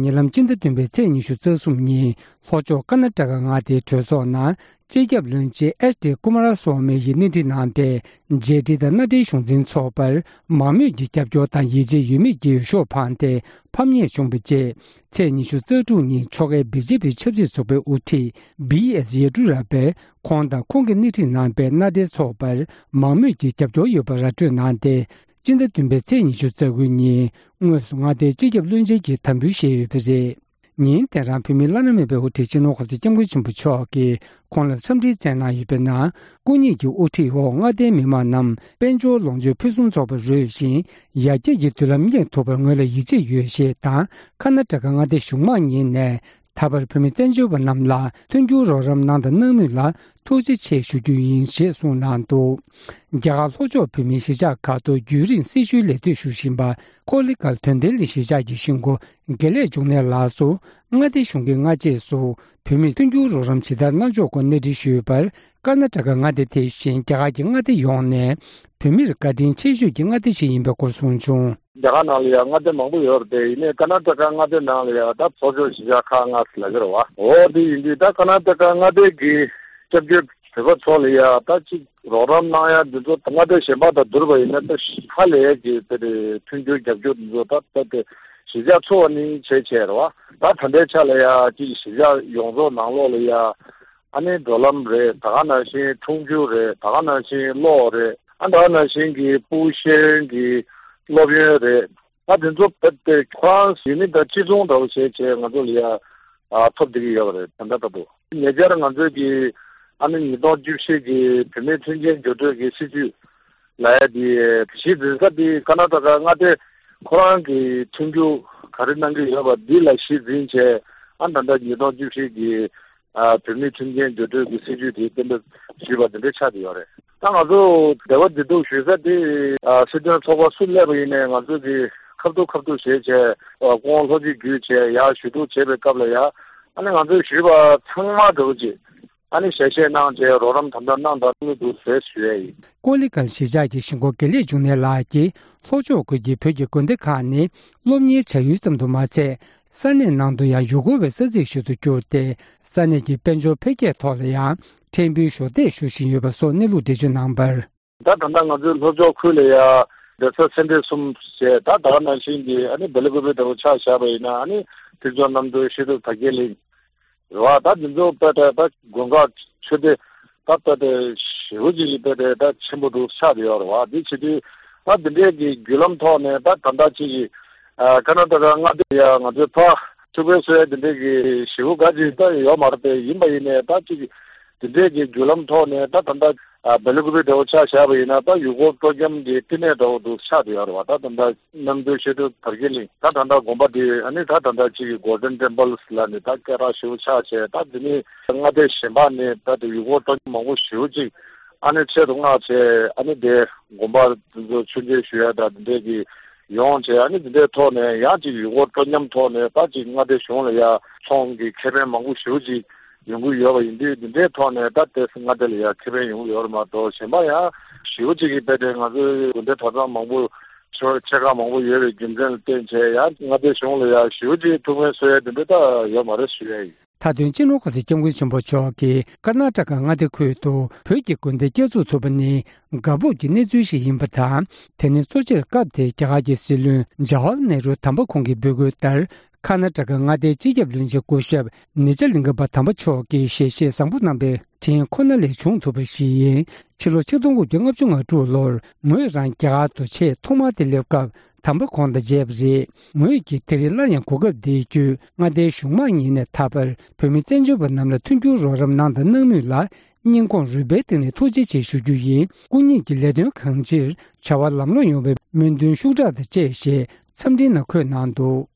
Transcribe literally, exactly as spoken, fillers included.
ཉེ་ལམ་སྤྱི་ཟླ་བདུན་པའི་ཚེས་ཉི་ཤུ་རྩ་གསུམ་ཉིན་ལྷོ་ཕྱོགས་ཀར་ན་ཊ་ཀ་མངའ་སྡེའི་གྲོས་ཚོགས་ནང་སྤྱི་ཁྱབ་བློན་ཆེན་ཨེཆ་ཌི་ཀུ་མ་ར་སོ་མི་ཡིས་སྣེ་ཁྲིད་གནང་པའི་རྒྱལ་སྤྱི་དང་མནའ་འབྲེལ་གཞུང་འཛིན་ཚོགས་པར་མང་མོས་ཀྱི་རྒྱབ་སྐྱོར་དང་ཡིད་ཆེས་ཡོད་མེད་ཀྱི་འོས་ཤོག་འཕངས་ཏེ་ཕམ་ཉེས་བྱུང་བའི་རྗེས། ཚེས་ཉི་ཤུ་རྩ་དྲུག་ཉིན་ཕྱོགས་འགལ་བི་ཇེ་པི་ཆབ་སྲིད་ཚོགས་པའི་དབུ་ཁྲིད་བྷི་ཨེས་ཡེ་ཌུ་ར་པས་ཁོང་དང་ཁོང་གིས་སྣེ་ཁྲིད་གནང་པའི་མནའ་འབྲེལ་ཚོགས་པར་མང་མོས་ཀྱི་རྒྱབ་སྐྱོར་ཡོད་པ་ར་སྤྲོད་གནང་སྟེ། སྤྱི་ཟླ་བདུན་པའི་ཚེས་ཉི་ཤུ་རྩ་དགུ་ཉིན་དངོས་སུ་མངའ་སྡེའི་སྤྱི་ཁྱབ་བློན་ཆེན་གྱི་དམ་འབུལ་བཞེས་ཡོད་པ་རེད། ཉིན་དེ་རང་བོད་མིའི་བླ་ན་མེད་པའི་དབུ་ཁྲིད་སྤྱི་ནོར་༸གོང་ས་༸སྐྱབས་མགོན་ཆེན་པོ་མཆོག་གིས་ཁོང་ལ་འཚམས་འདྲི་བསྩལ་གནང་ཡོད་པའི་ནང་། སྐུ་ཉིད་ཀྱི་དབུ་ཁྲིད་འོག་མངའ་སྡེའི་མི་མང་རྣམས་དཔལ་འབྱོར་ལོངས་སྤྱོད་ཕུན་སུམ་ཚོགས་པ་རོལ་ཞིང་ཡར་རྒྱས་ཀྱི་མདུན་ལམ་སྙེག་ཐུབ་པར་ངོས་ལ་ཡིད་ཆེས་ཡོད་ཞེས་དང་། ཀར་ན་ཊ་ཀ་མངའ་སྡེ་གཞུང་མང་གཉིས་ནས་ད་བར་བོད་མི་བཙན་བྱོལ་བ་རྣམས་ལ་མཐུན་འགྱུར་རོགས་རམ་གནང་དང་གནང་མུས་ལ་ཐུགས་རྗེ་ཆེ་ཞུ་རྒྱུ་ཡིན་ཞེས་གསུངས་གནང་འདུག་རྒྱ་གར་ལྷོ་ཕྱོགས་བོད་མིའི་གཞིས་ཆགས་ཁག་ཏུ་རྒྱུན་རིང་སྲི་ཞུའི་ལས་དོན་ཞུ་བཞིན་པ་ཀོ་ལི་གྷལ་དོན་ལྡན་གླིང་གཞིས་ཆགས་ཀྱི་གཞིས་འགོ་དགེ་ལེགས་འབྱུང་གནས་ལགས་སུ། མངའ་སྡེ་གཞུང་གིས་སྔ་རྗེས་སུ་བོད་མིར་མཐུན་འགྱུར་རོགས་རམ་ཇི་ལྟར་གནང་ཕྱོགས་སྐོར་གནས་འདྲི་ཞུས་པར། ཀར་ན་ཊ་ཀ་མངའ་སྡེ་དེ་བཞིན་རྒྱ་གར་གྱི་མངའ་སྡེ་ཡོངས་ནས་བོད་མིར་བཀའ་དྲིན་ཆེ་ཤོས་ཀྱི་མངའ་སྡེ་ཞིག་ཡིན་པའི་སྐོར་གསུངས་བྱུང་། རྒྱ་གར་ནང་ལ་ཡང་མངའ་སྡེ་མང་པོ་ཡོད་རེད་དེ། ཡིན་ནའི་ཀར་ན་ཊ་ཀ་མངའ་སྡེ་ནང་ལ་ཡང་ད་ལྷོ་ཕྱོགས་གཞིས་ཆགས་ཁག་ལྔ་ཟེར་ལབ་ཀྱི་རེད་བ། འོ་དེ་ཡིན་དུས་ད་ཀར་ན་ཊ་ཀ་མངའ་སྡེ་གི་སྐྱབས་བཅོལ་བོད་པ་ཚོ་ལ་ཡང་ད་ཅིག་རོགས་རམ་གནང་ཡ་འདི་ཚོ་མངའ་སྡེ་གཞན་པ་དང་བསྡུར་བ་ཡིན་ན་ད་ཧ་ལས་ཀྱི་དེ་རེད། མཐུན་འགྱུར་རྒྱབ་སྐྱོར་འདི་ཚོ་ད་ད་དེ་གཞིས་ཆགས་ཚོ་བ་ནི་བྱས་བྱས་རེད་བ། ད་ད་ལྟའི་ཆ་ལ་ཡ་ཅིག་གཞིས་ཆགས་ཡོངས་རྫོགས་ནང་ལོགས་ལ་ཡ། ཨ་ནི་འགྲོ་ལམ་རེད། ད་ག་ནང་བཞིན་འཁྲུངས་ཆུ་རེད། ད་ག་ནང་བཞིན་གློག་རེད། ཨ་ད་ག་ནང་བཞིན་གྱི་ཕུའུ་ཤན་གྱི་སློབ་ཡོན་རེད། ཨ་དེ་ཚོ་རྦད་དེ་ཁོ་རང་ཡུལ་མི་དང་གཅིག་མཚུངས་འདྲ་བོ་བྱས་བྱས་ང་ཚོ་ལ་ཡ་ཨ་ཐོབ་བསྡད་ཀྱི་ཡོད་པ་རེད། ད་ལྟ་ལྟ་བུ་ཉེ་ཆར་ང་ཚོས་ཀྱི་ཨ་ནི་ཉིས་སྟོང་བཅུ་བཞི་གི་བོད་མིའི་མཐུན་རྐྱེན་སྦྱོར་སྤྲོད་ཀྱི་སྲིད་ཇུས་ལ་ཡ་དེ་གཞི་འཛིན་ས་དེ་ཀར་ན་ཊ་ཀ་མངའ་སྡེ་ཁོ་རང་གི་མཐུན་འགྱུར་ག་རེ་གནང་གི་ཡོད་པ་འདི་ལ་གཞི་འཛིན་བྱས། ཨ་ད་ལྟ་ཉིས་སྟོང་བཅུ་བཞི་གི་ཨ་བོད་མིའི་མཐུན་རྐྱེན་སྦྱོར་སྤྲོད་ཀྱི་སྲིད་ཇུས་དེ་གཏན་འབེབས་ཞུས་པ་དེ་འདྲ་ཆགས་བསྡད་ཡོད་རེད། ད་ང་ཚོ་འབྲེལ་བ་འདི་འདུག་ཞུ་ས་དེ་ཨ་སྲིད་དོན་ཚོགས་པ་སུ་སླེབས་པ་ཡིན་ནའི་ང་ཚོ་གི་ཁ་ཐུག་ཁ་ཐུག་བྱས་བྱས་ཨ་སྐུ་ངོ་ལྷོ་སྤྱི་བརྒྱུད་བྱས་ཡར་ཞུ་གཏུག་བྱས་པའི་སྐབས་ལ་ཡ། ཨ་ནི་ང་ཚོས་ཞུས་པ་ཚང་མ་འདྲ་བོ་ཅིག་ཨ་ནི་ཞལ་བཞེས་གནང་བྱས་རོགས་རམ་དམ་དྲག་གནང་དང་གནང་གི་འདུག་ཟེར་ཞུ་ཡས་ཡིན། ཀོ་ལི་གྷལ་གཞིས་ཆགས་ཀྱི་གཞིས་འགོ་དགེ་ལེགས་འབྱུང་གནས་ལགས་ཀྱིས་ལྷོ་ཕྱོགས་ཁུལ་གྱི་བོད་ཀྱི་དགོན་སྡེ་ཁག་ནི་སློབ་གཉེར་བྱ་ཡུལ་ཙམ་དུ་མ་ཚད། ས་གནས་ནང་དུ་ཡང་ཡུལ་སྐོར་བའི་ས་ཚིགས་ཤིག་ཏུ་གྱུར་ཏེ། ས་གནས་ཀྱི་དཔལ་འབྱོར་འཕེལ་རྒྱས་ཐོག་ལ་ཡང་ཕྲན་བུའི་གཞོགས་འདེགས་ཞུ་བཞིན་ཡོད་པ་སོགས་གནས་ལུགས་འགྲེལ་བརྗོད་གནང་བར། ད་ད་ལྟ་ང་ཚོའི་ལྷོ་ཕྱོགས་ཁུལ་ལ་ཡ་གདན་ས་སེ་འབྲས་གསུམ་བྱས། ད་ད་ག་ནང་བཞིན་གྱི་ཨ་ནི་སྦེལ་ཀོབ་ལྟ་བུ་ཆ་བཞག་པ་ཡིན་ན་ཨ་ནི་ཐེག་མཆོག་རྣམ་གྲོལ་ཤེས་རབ་དར་རྒྱས་གླིང་རེད་བ། ད་འདི་ཚོ་དཔེ་ད་ད་དགོན་ཁག་ཆོས་སྡེ་ད་དཔེ་ད་ཞེ་པོ་ཅིག་གི་དཔེ་ད་ད་ཆེན་པོ་འདུག་ཆགས་བསྡད་ཡོད་རེད་བ། འདི་བྱེད་དུས་ད་འདི་འདྲའི་གི་བརྒྱུད་ལམ་ཐོག་ནས་ད་ད་ལྟ་ཅིག་གི་ཨ་ཀར་ན་ཊ་ཀ་མངའ་སྡེ་ཡ་ང་ཚོའི་ཕ་ཐུགས་ཕན་གསོས་ཡ་འདི་འདྲའི་གི་ཞེ་པོ་ག་ཅིག་ད་ཡོད་མ་རེད་པས། ཡིན་པ་ཡིན་ནའི་ད་ཅིག་འདི་འདྲའི་གི་བརྒྱུད་ལམ་ཐོག་ནས་ད་ད་ལྟ་ཨ་སྦེལ་ཀོབ་འདྲ་བོ་ཆ་བཞག་པ་ཡིན་ན་ད་ཡུལ་སྐོར་སྤྲོ་འཆམ་གྱི་བསྟི་གནས་འདྲ་བོ་འདུག་ཆགས་བསྡད་ཡོད་རེད་བ། ད་ད་ལྟ་རྣམ་གྲོལ་ཤེས་རབ་དར་རྒྱས་གླིང་ད་ད་ལྟ་དགོན་པ་འདི་ཨ་ནི་ད་ད་ལྟ་ཅིག་གི་Golden Temples་ལབ་ནས་ད་སྐད་གྲགས་ཞེ་པོ་ཆགས་བྱས། ད་འདི་ནི་མངའ་སྡེ་གཞན་པ་ནས་ད་དེ་ཡུལ་སྐོར་སྤྲོ་འཆམ་མང་པོ་ཞེ་པོ་ཅིག་ཨ་ནི་ཆེད་དུ་མངགས་བྱས། ཨ་ནི་དེ་དགོན་པ་འདི་ཚོ་མཆོད་མཇལ་ཞུ་ཡ་ད་འདི་འདྲས་ཀྱི་ཡོང་བྱས། ཨ་ནི་འདི་འདྲའི་ཐོག་ནས་ཡང་ཅིག་ཡུལ་སྐོར་སྤྲོ་འཆམ་ཐོག་ནས་ད་ཅིག་མངའ་སྡེ་གཞུང་ལ་ཡ་ཚོང་གི་ཁེ་ཕན་མང་པོ་ཞེ་པོ་ཅིག་ཡོང་གི་ཡོད་པ་ཡིན་དུས། འདི་འདྲའི་ཐོག་ནས་ད་ལྟའི་མངའ་སྡེ་ལ་ཡང་ཁེ་ཕན་ཡོང་གི་ཡོད་རེད་མ་གཏོགས། གཞན་པ་ཡང་ཞེ་པོ་ཅིག་གིས་དཔེ་དེ་ང་ཚོའི་དགོན་སྡེ་གྲྭ་ཚང་མང་པོ་ཆེ་ཆེ་ཁག་མང་པོ་ཡོད་པའི་རྒྱུ་མཚན་ལ་བརྟེན་བྱས་ཡང་མངའ་སྡེ་གཞུང་ལ་ཡང་ཞེ་པོ་ཅིག་ཐུགས་ཕན་གསོས་ཡ་དེ་འདྲ་ད་ཡོད་མ་རེད་ཞུ་ཡ་ཡིན། མཐའ་དོན་སྤྱི་ནོར་གོང་ས་སྐྱབས་མགོན་ཆེན་པོ་མཆོག་གིས་ཀར་ན་ཊ་ཀ་མངའ་སྡེ་ཁུལ་དུ་བོད་ཀྱི་དགོན་སྡེ་བསྐྱར་འཛུགས་ཐུབ་པ་ནི་དགའ་སྤོབས་ཀྱི་གནས་ཚུལ་ཞིག་ཡིན་པ་དང་། དེ་ནི་གཙོ་ཆེར་སྐབས་དེའི་རྒྱ་གར་གྱི་སྲིད་བློན་ཇ་ཝ་ཧར་ནེ་རུ་དམ་པ་ཁོང་གི་འབོད་སྐུལ་ལྟར། ཀར་ན་ཊ་ཀ་མངའ་སྡེའི་སྤྱི་ཁྱབ་བློན་ཆེན་སྐུ་ཞབས་ནི་ཇ་ལིང་ག་པ་དམ་པ་མཆོག་གིས་ཞལ་བཞེས་བཟང་པོ་གནང་པའི་དྲིན་ཁོ་ན་ལས་བྱུང་ཐུབ་པ་ཞིག་ཡིན། ཕྱི་ལོ་ཆིག་སྟོང་དགུ་བརྒྱ་ལྔ་བཅུ་ང་དྲུག་ལོར་ངོས་རང་རྒྱ་གར་དུ་ཆེས་ཐོག་མར་དུ་སླེབས་སྐབས་དམ་པ་ཁོང་དང་མཇལ་བ་རེད། ངོས་ཀྱིས་དེ་རིང་སླར་ཡང་གོ་སྐབས་འདི་བརྒྱུད་མངའ་སྡེའི་གཞུང་མང་གཉིས་ནས་ད་བར་བོད་མི་བཙན་བྱོལ་བ་རྣམས་ལ་མཐུན་འགྱུར་རོགས་རམ་གནང་དང་གནང་མུས་ལ་སྙིང་ཁོང་རུས་པའི་གཏིང་ནས་ཐུགས་རྗེ་ཆེ་ཞུ་རྒྱུ་ཡིན། སྐུ་ཉིད་ཀྱི་ལས་དོན་གང་ཅིར་བྱ་བ་ལམ་ལྷོང་ཡོང་བའི་སྨོན་འདུན་ཤུགས་དྲག་དང་བཅས་ཞེས་འཚམས་འཕྲིན་ནང་འཁོད་གནང་འདུག།